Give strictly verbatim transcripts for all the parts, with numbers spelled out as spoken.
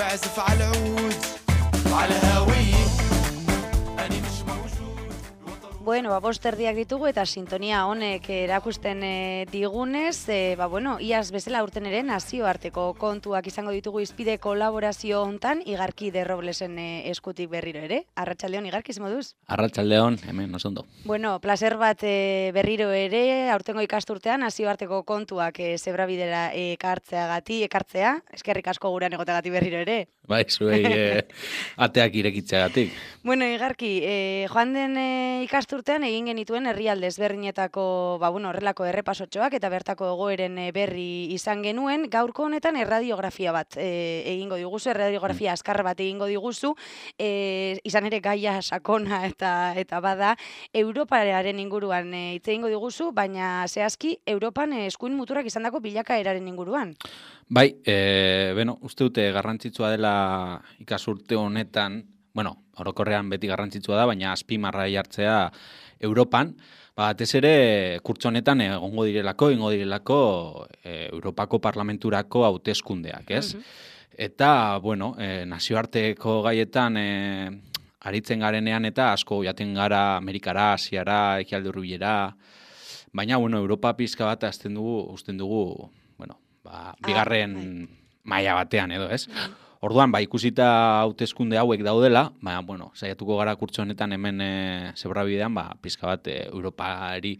بعزف على العود وعلى هوايه أنا مش موجود. Bueno, ba, bost erdiak ditugu eta sintonia honek erakusten e, digunez, e, ba, bueno, iaz bezala urten ere nazioarteko kontuak izango ditugu izpide kolaborazio hontan, Igarki de Roblesen e, eskutik berriro ere. Arratsaldeon Igarki, ze moduz? Arratsaldeon, hemen oso ondo. Bueno, placer bat e, berriro ere, aurtengo ikasturtean nazioarteko kontuak e, zebrabidera ekartzeagati, ekartzea, eskerrik asko gurean egoteagatik berriro ere. Bai, zuei e, ateak irekitzeagatik. Bueno, Igarki, e, joan den e, ikasturtean egin genituen herrialde ezberdinetako, ba, bueno, horrelako errepasotxoak eta bertako egoeren e, berri izan genuen. Gaurko honetan erradiografia bat e, egingo diguzu, erradiografia mm. azkar bat egingo diguzu, e, izan ere gaia sakona eta eta bada, Europaren inguruan e, hitz egingo diguzu, baina zehazki Europan e, eskuin muturrak izandako bilakaeraren inguruan. Bai, e, bueno, uste dute garrantzitsua dela ikasurte honetan, bueno, orokorrean beti garrantzitsua da, baina azpimarra jartzea Europan, batez ere kurtso honetan egongo direlako, egongo direlako e, Europako Parlamenturako hauteskundeak, ez? Mm-hmm. Eta, bueno, e, nazioarteko gaietan e, aritzen garenean eta asko jaten gara Amerikara, Asiara, Ekialde Hurbilera, baina, bueno, Europa pizka bat azten dugu, usten dugu, bueno, ba, bigarren ah, maila batean edo, ez? Mm-hmm. Orduan, ba, ikusita hauteskunde hauek daudela, ba, bueno, saiatuko gara kurtso honetan hemen e, zebrabidean, ba, pizka bat e, Europari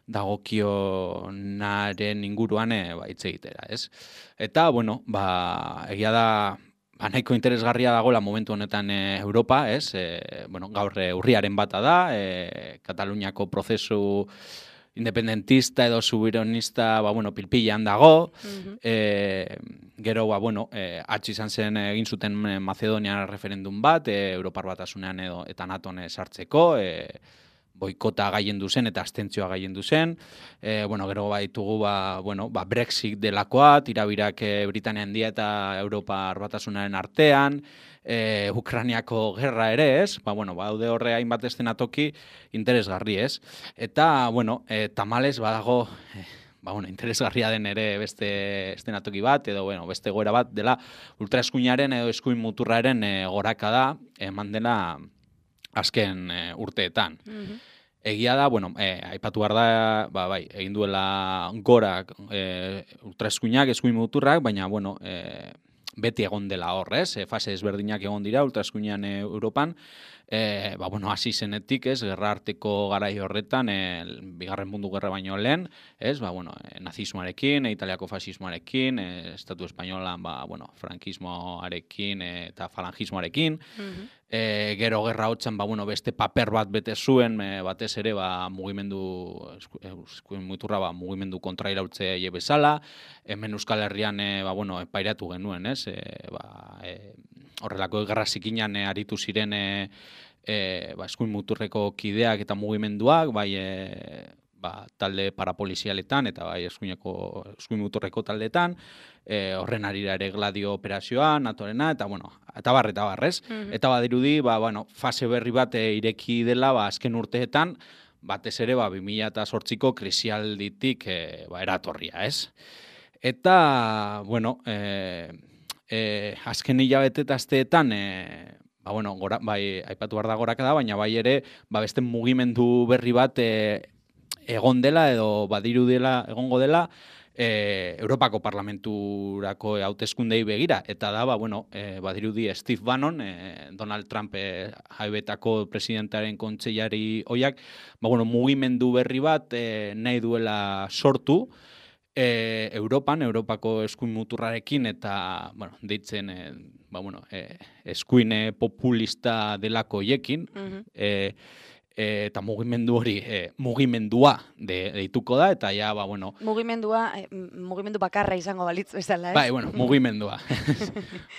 dagokionaren inguruan e, ba, hitz egitera, ez? Eta, bueno, ba, egia da, ba, nahiko interesgarria dagoela momentu honetan e, Europa, ez? E, bueno, gaur e, urriaren bata da, e, Kataluniako prozesu independentista edo subironista, ba, bueno, pilpilan dago, mm-hmm. e, gero, ba, bueno, e, atx izan zen egin zuten Macedonia referendum bat, e, Europar Batasunean edo eta NATOn sartzeko, e, boikota gaiendu zen eta abstentzioa gaiendu zen, e, bueno, gero baitugu, ba, bueno, ba, Brexit delakoa, tirabirak e, Britania Handia eta Europar Batasunaren artean, E, Ukrainiako gerra ere, ez? Ba, bueno, baude horre hainbat estenatoki interesgarri, ez? Eta, bueno, e, tamales badago, e, ba, bueno, interesgarria den ere beste estenatoki bat, edo, bueno, beste goera bat, dela ultraeskuinaren edo eskuin muturraren e, goraka da, eman dela azken e, urteetan. Mm-hmm. Egia da, bueno, e, aipatu behar da, ba, bai, egin duela gorak e, ultraeskuinak, eskuin muturrak, baina, bueno, e, beti egon dela horrez, e, fase ezberdinak egon dira ultraeskuinean e, Europan, e, ba, bueno, hasi zenetik, ez, gerra arteko garai horretan, e, bigarren mundu gerra baino lehen, ez, ba, bueno, e, nazismoarekin, e, italiako fasismoarekin, e, estatu espainolan, ba, bueno, frankismoarekin e, eta falangismoarekin, mm-hmm. e, gero gerra hotxan, ba, bueno, beste paper bat bete zuen, e, batez ere, ba, mugimendu, eskuin muturra, ba, mugimendu kontrairautze bezala, hemen Euskal Herrian, e, ba, bueno, epairatu genuen, ez, e, ba, e, horrelako gerra zikinan e, aritu ziren e, e, ba, eskuin muturreko kideak eta mugimenduak, bai e, ba, talde parapolizialetan eta bai eskuineko eskuin muturreko taldeetan, e, horren arira ere Gladio operazioa, natorena, eta bueno, eta bar, eta barrez. Mm-hmm. Eta badirudi, ba, bueno, fase berri bat e, ireki dela, ba, azken urteetan, batez ere, ba, bi mila zortziko krisialditik e, ba, eratorria, ez? Eta, bueno, e, e, azken hilabete eta asteetan, e, ba, bueno, gora, bai, aipatu behar da goraka da, baina bai ere, ba, beste mugimendu berri bat e, egon dela edo badiru dela, egongo dela, e, Europako Parlamenturako hauteskundei begira, eta da, ba, bueno, e, badirudi Steve Bannon, e, Donald Trump e, jaibetako presidentaren kontseilari hoiak, ba, bueno, mugimendu berri bat e, nahi duela sortu, E, Europan, Europako eskuin muturrarekin eta, bueno, deitzen, e, ba, bueno, e, eskuin populista delako hiekin, mm-hmm. e, e, eta mugimendu hori, e, mugimendua de, deituko da, eta ja, ba, bueno... Mugimendua, e, mugimendu bakarra izango balitz bezala, ez? Bai, bueno, mugimendua.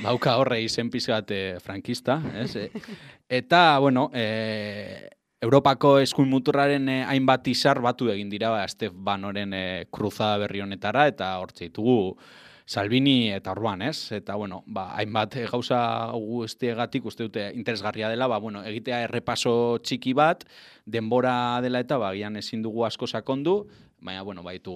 Bauka horre izen pizkat e, frankista, ez? E, eta, bueno, e, Europako eskuin muturraren eh, hainbat izar batu egin dira, ba, Steve Bannoren eh, kruzada berri honetara, eta hortze ditugu Salvini eta Orban, ez? Eta, bueno, ba, hainbat gauza guztiegatik uste dute interesgarria dela, ba, bueno, egitea errepaso txiki bat, denbora dela eta, ba, gian ezin dugu asko sakondu, baina, bueno, baitu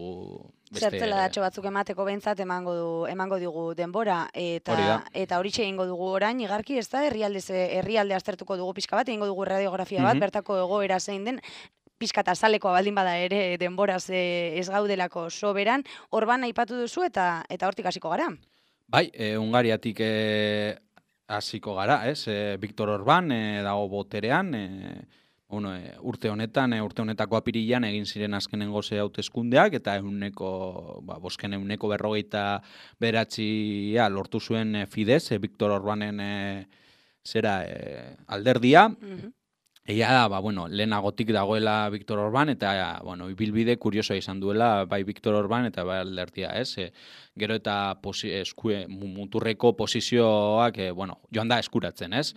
beste... Zertzela datxo batzuk emateko behintzat emango du emango digu denbora eta Hori da. eta horixe egingo dugu orain igarki, ez da, herrialde herrialde aztertuko dugu pixka bat, egingo dugu radiografia bat, Mhm. bertako egoera zein den, pixka eta zalekoa baldin bada ere denboraz eh, ez gaudelako soberan, Orban aipatu duzu eta eta hortik hasiko gara. Bai, e, Hungariatik e, hasiko gara, ez? E, Viktor Orban e, dago boterean, e, bueno, e, urte honetan, e, urte honetako apirilan egin ziren azkenengo ze hauteskundeak eta ehuneko, ba, bosken ehuneko berrogeita bederatzi lortu zuen e, Fidesz, e, Viktor Orbanen e, zera e, alderdia. Mhm. Egia da, ba, bueno, lehenagotik dagoela Viktor Orban, eta, bueno, ibilbide kuriosoa izan duela, bai Viktor Orban eta bai alderdia, ez? E, gero eta posi, eskue, muturreko posizioak, e, bueno, joan da eskuratzen, ez?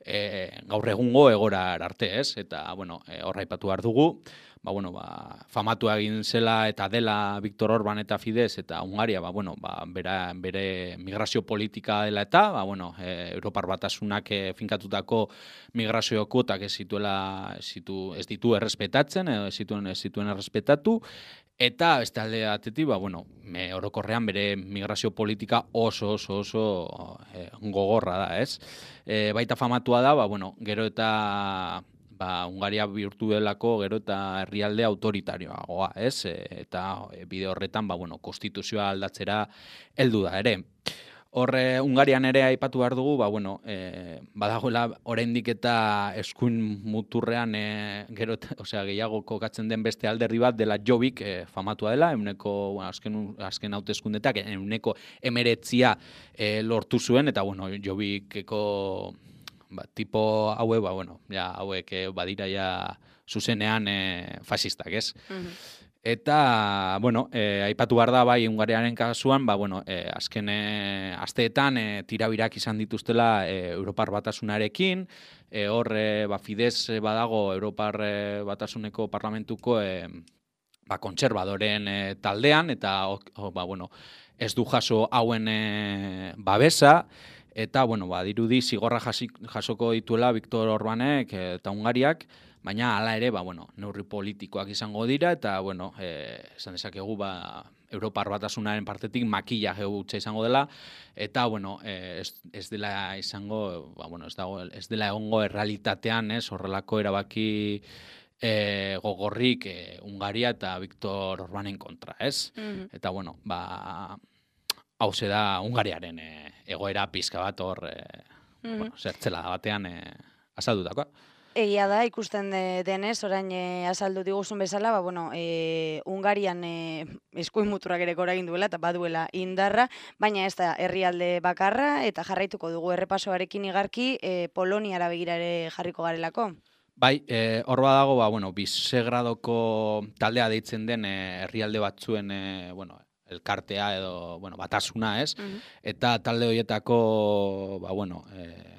E, gaur egungo egora arte, ez? Eta, bueno, e, horra aipatu behar dugu, ba, bueno, ba, famatu egin zela eta dela Viktor Orban eta Fidesz eta Hungaria, ba, bueno, ba, bera, bere migrazio politika dela eta, ba, bueno, e, Europar Batasunak e, finkatutako migrazio kuotak ez zituela, ez, zitu, ez ditu errespetatzen, edo ez zituen, ez zituen errespetatu, eta beste alde batetik, ba, bueno, me, orokorrean bere migrazio politika oso, oso, oso e, gogorra da, ez? E, baita famatua da, ba, bueno, gero eta... ba, Hungaria bihurtu delako gero eta herrialde autoritarioagoa, ez? E, eta e, bide horretan, ba, bueno, konstituzioa aldatzera heldu da ere. Horre, Hungarian ere aipatu behar dugu, ba, bueno, e, badagoela oraindik eta eskuin muturrean e, gero, osea, gehiago kokatzen den beste alderdi bat dela Jobbik, e, famatua dela, euneko, bueno, azken, azken hauteskundetak, euneko emeretzia e, lortu zuen, eta, bueno, Jobbikeko... Ba, tipo haue, ba, bueno, ja, hauek eh, badira ja zuzenean eh, fasistak, ez? Mhm. Eta, bueno, eh, aipatu behar da, bai, Hungariaren kasuan, ba, bueno, eh, azken eh, asteetan eh, tirabirak izan dituztela eh, Europar Batasunarekin, eh, hor, eh, ba, Fidesz badago Europar eh, Batasuneko parlamentuko eh, ba, kontserbadoren eh, taldean, eta, oh, ba, bueno, ez du jaso hauen eh, babesa, eta, bueno, ba, dirudi zigorra jasik, jasoko dituela Viktor Orbanek eta Hungariak, baina hala ere, ba, bueno, neurri politikoak izango dira, eta, bueno, eh, esan dezakegu, ba, Europar Batasunaren partetik makillaje hutsa izango dela, eta, bueno, eh, ez, ez dela izango, ba, bueno, ez, dago, ez dela egongo errealitatean, ez, horrelako erabaki eh, gogorrik eh, Hungaria eta Viktor Orbanen kontra, ez? Mhm. Eta, bueno, ba... hauze da Hungariaren e, egoera pizka bat hor, e, Mhm. bueno, zertzela batean e, azaldutakoa. Egia da, ikusten de, denez, orain e, azaldu diguzun bezala, ba, bueno, e, Hungarian e, eskuin muturrak ere gora egin duela eta baduela indarra, baina ez da herrialde bakarra eta jarraituko dugu errepasoarekin igarki e, Poloniara begira ere jarriko garelako. Bai, e, hor badago, ba, bueno, Bisegradoko taldea deitzen den e, herrialde batzuen, e, bueno, elkartea edo, bueno, batasuna, ez? Mhm. Eta talde horietako, ba, bueno, e,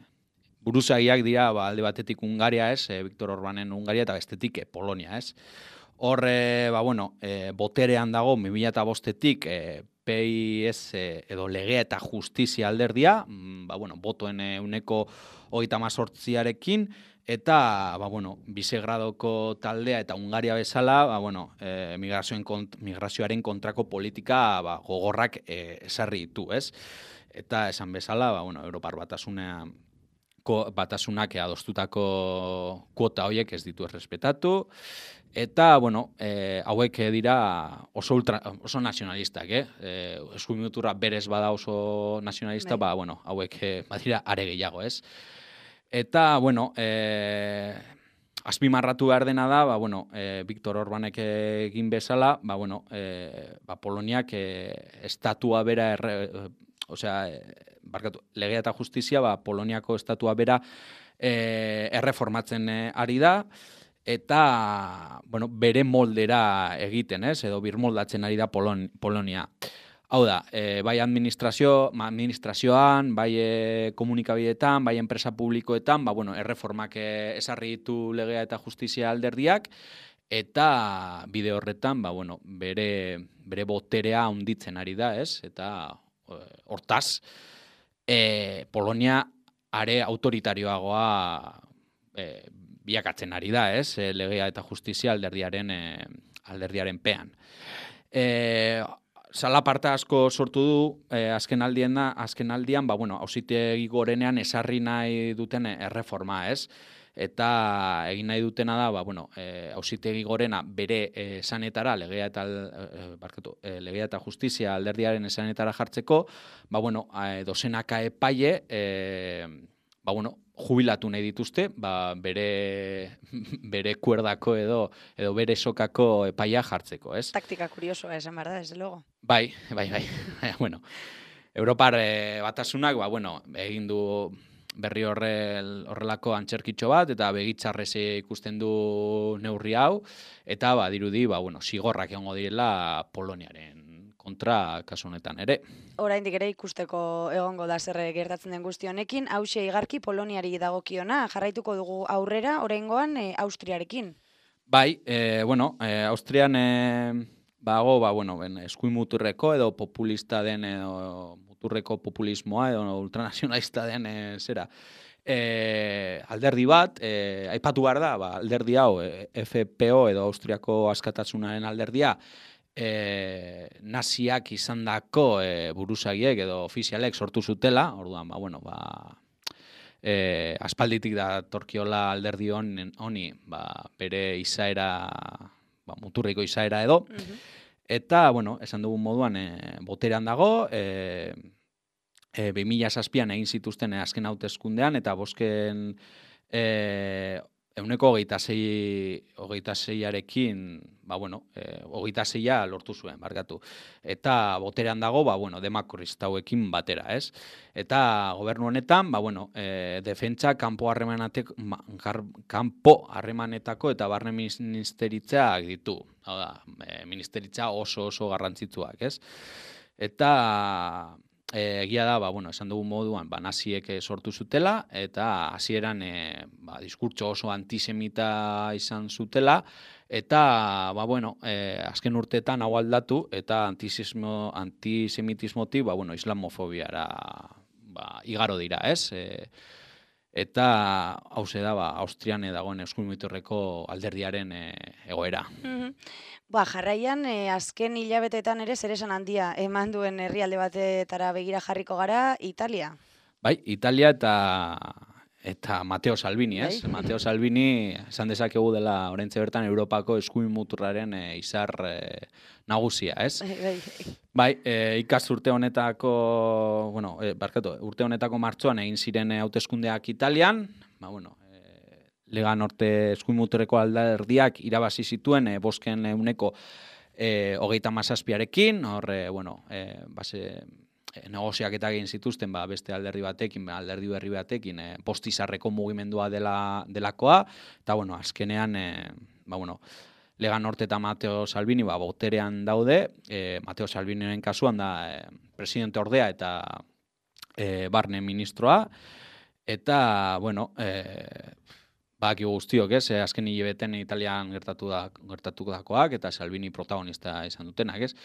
buruzagiak dira, ba, alde batetik Hungaria, ez? E, Viktor Orbanen Hungaria eta bestetik e, Polonia, ez? Hor, e, ba, bueno, e, boterean dago, bi mila bostetik, e, P I S edo Legea eta Justizia alderdia, mm, ba, bueno, botoen e, uneko hogeita hamazortziarekin, eta, ba, bueno, Bisegradoko taldea eta Hungaria bezala, ba, bueno, e, migrazioen kont, migrazioaren kontrako politika ba, gogorrak e, esarri ditu, ez? Eta esan bezala, ba, bueno, Europar Batasuna, ko, Batasunak adostutako kuota horiek ez ditu errespetatu, eta, bueno, e, hauek dira oso, ultra, oso nazionalistak, eh? E, eskuin muturra berez bada oso nazionalista, Bai. ba, bueno, hauek e, badira are gehiago, ez? Eta, bueno, e, azpimarratu behar dena da, ba, bueno, e, Viktor Orbanek egin bezala, ba, bueno, e, ba, Poloniak e, estatua bera, erre, e, osea, e, barkatu, Legea eta Justizia, ba, Poloniako estatua bera e, erreformatzen e, ari da, eta, bueno, bere moldera egiten, ez, edo birmoldatzen ari da Polon, Polonia. Hau da, e, bai administrazio, administrazioan, bai e, komunikabideetan, bai enpresa publikoetan, ba, bueno, erreformak e, esarri ditu Legea eta Justizia alderdiak, eta bide horretan, ba, bueno, bere, bere boterea handitzen ari da, ez? Eta eh, hortaz, eh, Polonia are autoritarioagoa eh, biakatzen ari da, ez? E, legea eta justizia alderdiaren e, alderdiaren pean. E, Zalaparta asko sortu du e, azken aldien da, azken aldian, ba bueno, auzitegi gorenean esarri nahi duten erreforma, ez? Eta egin nahi dutena da, ba bueno, e, auzitegi gorena bere e, esanetara legea eta e, barkatu, e, legea eta justizia alderdiaren esanetara jartzeko, ba bueno, e, dozenaka epaile e, ba bueno, jubilatu nahi dituzte, ba, bere, bere kuerdako edo, edo bere sokako epaia jartzeko, ez? Taktika kuriosoa esan behar da, desde luego. Bai, bai, bai. Bueno, Europar eh, batasunak, ba, bueno, egin du berri horrel, horrelako antxerkitxo bat, eta begitzarrez ikusten du neurri hau, eta ba, dirudi, ba, bueno, zigorrak egongo direla Poloniaren kontra kasu honetan ere. Oraindik ere ikusteko egongo da zer gertatzen den guzti honekin, hauxe igarki Poloniari dagokiona, jarraituko dugu aurrera, oraingoan e, Austriarekin. Bai, e, bueno, e, Austrian e, bago, ba, bueno, ben, eskuin muturreko edo populista den edo muturreko populismoa edo ultranazionalista den e, zera. E, alderdi bat, e, aipatu behar da, ba, alderdi hau, e, F P O edo Austriako askatasunaren alderdia, E, naziak izandako e, buruzagiek edo ofizialek sortu zutela, orduan, ba, bueno, ba, e, aspalditik da torkiola alderdi honi, ba, bere izaera, ba, muturriko izaera edo, uh-huh. Eta, bueno, esan dugun moduan, e, boterean dago, e, e, bi mila zazpian egin zituzten e, azken hauteskundean, eta bosken e, Euneko hogeita sei, hogeita seiarekin, ba, bueno, e, hogeita seia lortu zuen, barkatu. Eta boterean dago, ba, bueno, demakristauekin batera, ez? Eta gobernu honetan, ba, bueno, e, defentsa kanpo harremanetako, kanpo harremanetako eta barne ministeritzak ditu. Hau da, e, ministeritza oso oso garrantzitsuak, ez? Eta E, egia da, ba, bueno, esan dugun moduan, ba, naziek sortu zutela, eta hasieran e, ba, diskurtso oso antisemita izan zutela, eta, ba, bueno, e, azken urteetan hau aldatu, eta antisismo, antisemitismotik, ba, bueno, islamofobiara ba, igaro dira, ez? E, eta, hauze da, ba, Austrian dagoen eskuin muturreko alderdiaren e, egoera. Mm-hmm. Ba, jarraian, eh, azken hilabeteetan ere zeresan handia eman duen herrialde batetara begira jarriko gara, Italia. Bai, Italia eta eta Matteo Salvini, ez? Bai. Matteo Salvini, esan dezakegu dela oraintxe bertan Europako eskuin muturraren e, izar e, nagusia, ez? Bai, bai. Bai, e, ikasturte honetako, bueno, e, barkatu, urte honetako martxoan egin ziren hauteskundeak Italian, ba, bueno, Lega Norte eskuin muturreko alderdiak irabazi zituen e, bosken euneko e, hogeita mazazpiarekin, hor, e, bueno, e, base, e, negoziak eta egin zituzten ba, beste alderdi batekin, alderdi berri batekin, e, postizarreko mugimendua dela, delakoa, eta, bueno, azkenean, e, ba, bueno, Lega Norte eta Matteo Salvini ba, boterean daude, e, Matteo Salviniren kasuan da e, presidente ordea eta e, barne ministroa, eta, bueno, e, Baki guztiok, ez, azken hilabeten Italian gertatu da, gertatu dakoak, eta Salvini protagonista izan dutenak, ez.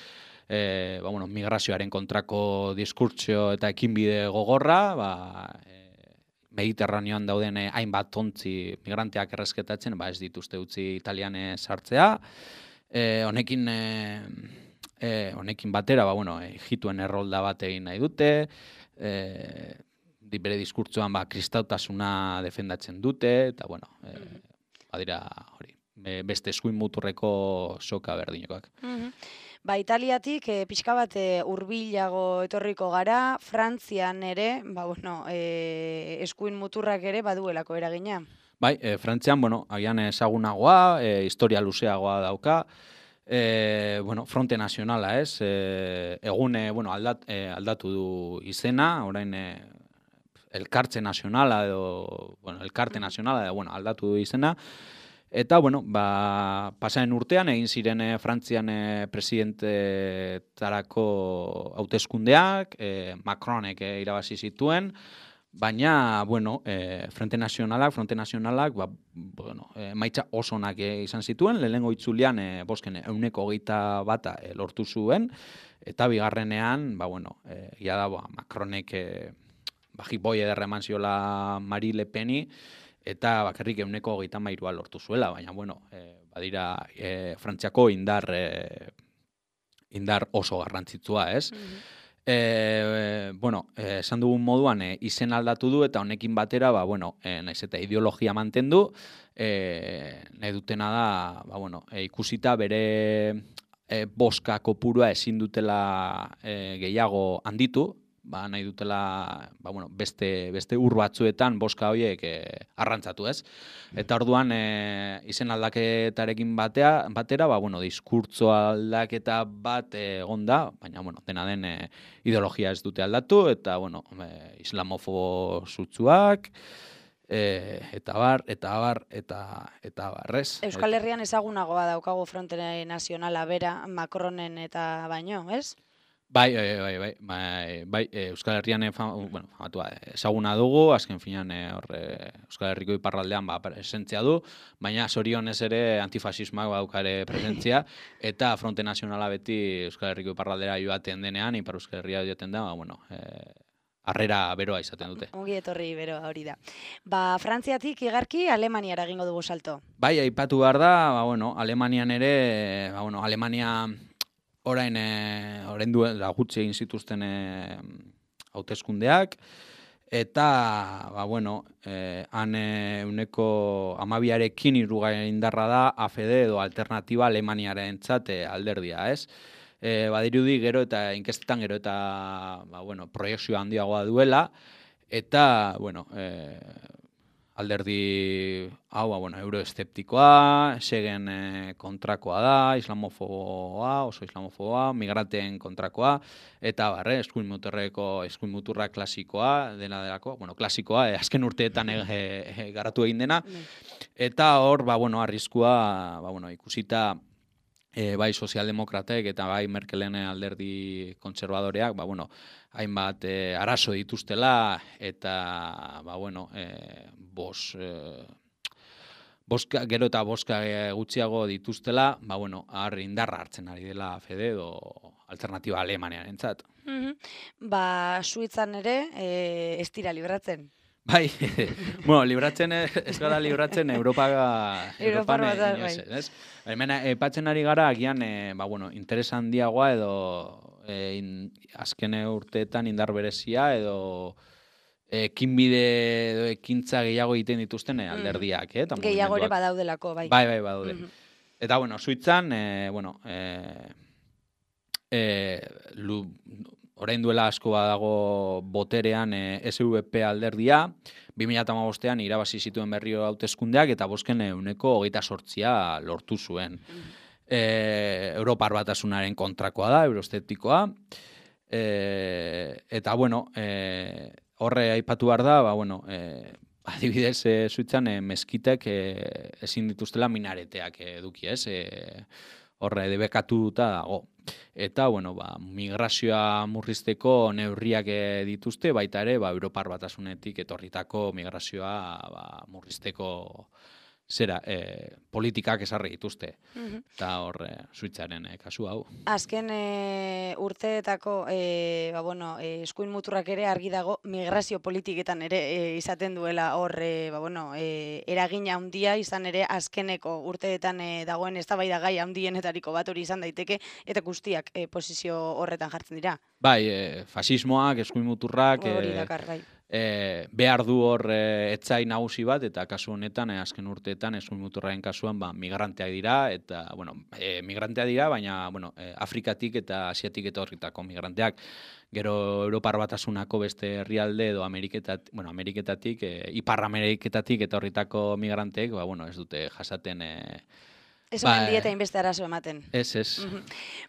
E, ba, bueno, migrazioaren kontrako diskurtsio eta ekinbide gogorra, ba, e, Mediterraneoan dauden hainbat ontzi migranteak erresketatzen, ba, ez dituzte utzi Italian sartzea. E, honekin, e, e, honekin batera, ba, bueno, Egiptuen errolda bat egin nahi dute, e, bere diskurtsoan ba, kristautasuna defendatzen dute, eta, bueno, e, badira, hori, beste eskuin muturreko soka berdinokoak. Mm-hmm. Ba, Italiatik e, pixka bat e, hurbilago etorriko gara, Frantzian ere, ba, bueno, e, eskuin muturrak ere baduelako eragina. Bai, e, Frantzian, bueno, agian ezagunagoa, e, historia luzeagoa dauka, e, bueno, Fronte Nazionala, ez, e, egune, bueno, aldat, e, aldatu du izena, orain, e, Elkartze Nazionala edo, bueno, Elkarte Nazionala edo, bueno, aldatu du izena. Eta, bueno, ba, pasaren urtean egin ziren e, Frantzian e, presidentetarako hauteskundeak, e, Macronek e, irabazi zituen, baina, bueno, e, Frente Nazionalak, Fronte Nazionalak, ba, bueno, e, maitza oso onak e, izan zituen, lehenengo itzulian, e, bosken, euneko hogeita bata e, lortu zuen, eta bigarrenean, ba, bueno, e, ia da, ba, Macronek e, ba, jipoi ederra eman ziola Marie Le Peni, eta bakarrik euneko hogeita mairua lortu zuela, baina, bueno, e, badira, e, Frantziako indar, e, indar oso garrantzitsua, ez? Mhm. E, bueno, eh, esan dugun moduan e, izen aldatu du eta honekin batera, ba, bueno, e, naiz eta ideologia mantendu, e, nahi dutena da, ba, bueno, e, ikusita bere e, boska kopurua ezin dutela e, gehiago handitu, ba, nahi dutela ba, bueno, beste, beste ur batzuetan boska horiek e, arrantzatu, ez? Eta orduan e, izen aldaketarekin batea, batera, ba, bueno, diskurtso aldaketa bat egon da, baina, bueno, dena den e, ideologia ez dute aldatu, eta, bueno, e, islamofobo sutsuak, e, eta bar, eta bar, eta, eta barrez. Euskal Herrian ezagunagoa daukagu Fronte Nazionala bera Macronen eta baino, ez? Bai, bai, bai, bai, bai, bai, e, Euskal Herrian e, fam, bueno, famatua, ezaguna dugu, azken finean e, horre, Euskal Herriko iparraldean ba, presentzia du, baina zorionez ere antifasismak baukare presentzia, eta Fronte Nazionala beti Euskal Herriko iparraldera joaten denean, Ipar Euskal Herria joaten da, ba, bueno, e, harrera beroa izaten dute. Ongi etorri beroa hori da. Ba, Frantziatik igarki Alemaniara egingo dugu salto. Bai, aipatu behar da, ba, bueno, Alemanian ere, ba, bueno, Alemania orain, e, orain duen gutxi egin zituzten e, hauteskundeak, eta, ba, bueno, e, han e, uneko amabiarekin irugarren indarra da A F D edo Alternatiba Alemaniaren txate alderdia, ez? E, badirudi gero eta inkestetan gero eta, ba, bueno, proiekzio handiagoa duela, eta, bueno, e, alderdi hau, ba, bueno, euroesteptikoa, segen e, kontrakoa da, islamofoboa, oso islamofoboa, migrateen kontrakoa, eta barre, eskuin muturreko, eskuin muturra klasikoa, dena delako, bueno, klasikoa, e, azken urteetan e, e, garatu egin dena, eta hor, ba, bueno, arriskua, ba, bueno, ikusita, E, bai sozialdemokratek eta bai Merkelen alderdi kontserbadoreak, ba, bueno, hainbat e, arazo dituztela eta, ba, bueno, e, bos, e, boska, gero eta boska gutxiago dituztela, ba, bueno, har indarra hartzen ari dela F D edo Alternatiba Alemaniaren zat. Mhm. Ba, Suitzan ere, e, ez dira libratzen. Bai, bueno, libratzen ez gara libratzen Europa Europan inoiz, ez? Hemen epatzen ari gara agian e, ba, bueno, interes handiagoa edo e, in, azken urteetan indar berezia edo ekinbide edo ekintza gehiago egiten dituzten e, alderdiak, eh? Gehiago ere badaudelako, bai. Bai, bai, badaude. Mhm. Eta, bueno, Suitzan, e, bueno, e, e, lu, orain duela asko badago boterean e, S V P alderdia, bi mila hamabostean irabazi zituen berriro hauteskundeak eta bosken euneko hogeita sortzia lortu zuen. E, Europar Batasunaren kontrakoa da, euroesteptikoa, e, eta, bueno, e, horre aipatu behar da, ba, bueno, e, adibidez, e, Suitzan e, meskitek e, ezin dituztela minareteak eduki, ez? E, horre debekatuta dago. Eta, bueno, ba, migrazioa murrizteko neurriak dituzte, baita ere, ba, Europar Batasunetik etorritako migrazioa ba, murrizteko zera, e, politikak esarri dituzte. Mhm. Eta hor, e, Suitzaren e, kasu hau. Azken e, urteetako e, ba, bueno, e, eskuin muturrak ere argi dago migrazio politiketan ere e, izaten duela hor e, ba, bueno, e, eragina handia izan ere azkeneko urteetan e, dagoen eztabaida gai handienetariko bat hori izan daiteke eta guztiak e, posizio horretan jartzen dira. Bai, e, fasismoak, eskuin muturrak, Hori e, dakar, bai. E, behar du hor e, etzai nagusi bat, eta kasu honetan, e, azken urteetan, eskuin muturraren kasuan, ba, migranteak dira, eta, bueno, e, migranteak dira, baina, bueno, e, Afrikatik eta Asiatik etorritako migranteak. Gero Europar Batasunako beste herrialde edo Ameriketat, bueno, Ameriketatik, e, Ipar Ameriketatik etorritako migranteek, ba, bueno, ez dute jasaten... E, Ez omen dieta inbeste arazo ematen. Ez, ez.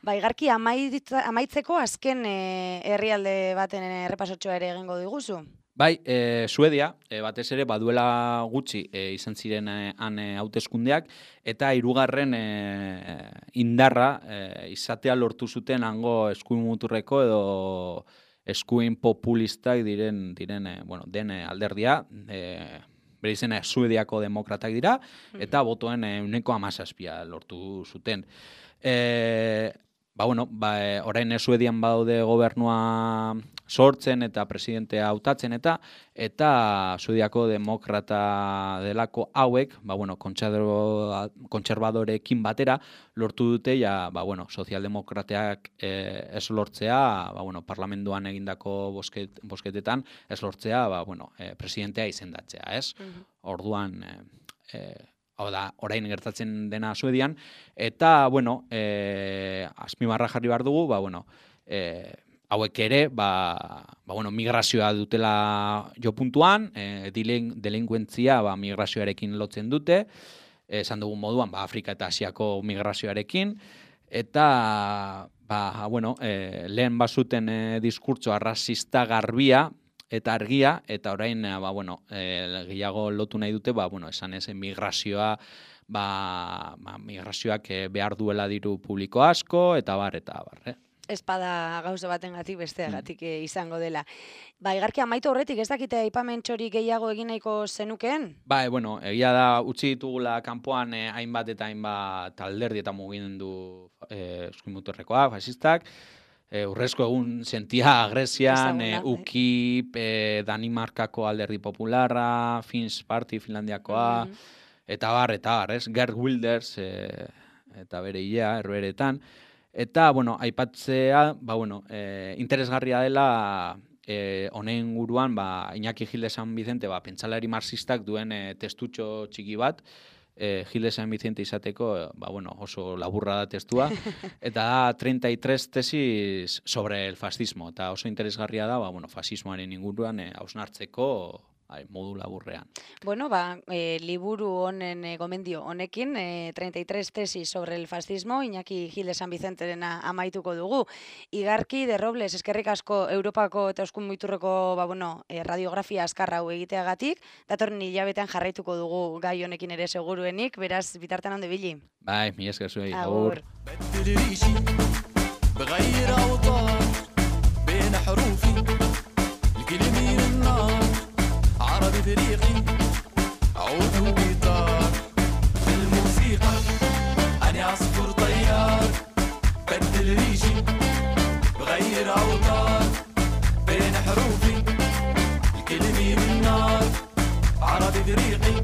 Ba, igarki amaitzeko azken e, herrialde baten errepasotxoa ere egingo diguzu? Bai, e, Suedia, e, batez ere, baduela gutxi e, izan ziren e, han e, hauteskundeak, eta hirugarren e, indarra e, izatea lortu zuten hango eskuin muturreko edo eskuin populistak diren, diren e, bueno, den e, alderdia, e, bere izena Suediako demokratak dira, eta botoen ehuneko hamazazpia lortu zuten. E, ba, bueno, ba, e, orain Suedian badaude gobernua sortzen eta presidentea hautatzen eta eta Suediako demokrata delako hauek, ba, bueno, kontserbadorekin batera lortu dute, ja, ba, bueno, sozialdemokrateak e, ez lortzea, ba, bueno, parlamentuan egindako bosket, bosketetan ez lortzea, ba, bueno, e, presidentea izendatzea, ez? Uh-huh. Orduan, e, e, hau da, orain gertatzen dena Suedian, eta, bueno, e, azpimarra jarri behar dugu, ba, bueno, e, hauek ere, ba, ba, bueno, migrazioa dutela jo puntuan, e, delinkuentzia ba, migrazioarekin lotzen dute, esan dugun moduan, ba, Afrika eta Asiako migrazioarekin, eta, ba, bueno, e, lehen bazuten e, diskurtso arrazista garbia, eta argia, eta orain, ba, bueno, e, gehiago lotu nahi dute, ba, bueno, esan ez, migrazioa, ba, ba, migrazioak behar duela diru publiko asko, eta bar, eta bar, eh? Espada gauza batengatik besteagatik mm. izango dela. Ba, igarki amaitu horretik ez dakite aipamentxori gehiago egin nahiko zenukeen? Ba, e, bueno, egia da, utzi ditugula kanpoan eh, hainbat eta hainbat alderdi eta mugimendu eh, eskuinmuturrekoak, fasistak, E, urrezko egun sentia Grezian, e, U K I P, e, Danimarkako alderdi popularra, Finns Party Finlandiakoa, mm-hmm. eta bar, eta bar, ez? Geert Wilders, e, eta bere hilea, erberetan. Eta, bueno, aipatzea, ba, bueno, e, interesgarria dela, e, honen guruan, ba, Iñaki Gil de San Vicente, ba, pentsalari marxistak duen e, testutxo txiki bat, Eh, Gil de San Vicente izateko, ba, bueno, oso laburra da testua, eta da treinta y tres tesis sobre el fascismo, eta oso interesgarria da, ba, bueno, fascismoaren inguruan eh, hausnartzeko ai, modu laburrean. Bueno, ba, e, liburu honen e, gomendio honekin, e, treinta y tres tesis sobre el fascismo, Iñaki Gil de San Vicenterena amaituko dugu. Igarki de Robles, eskerrik asko Europako eta Euskun Muiturreko ba, bueno, e, radiografia azkarra hau egiteagatik, datorren hilabetean jarraituko dugu gai honekin ere seguruenik, beraz, bitartean onde bili. Bai, mi esker zuei. Agur. عربي بريقي عود وجيتار بالموسيقى أنا عصفور طيار بدل ريشي بغير أوتار بين حروفي الكلمة من نار عربي بريقي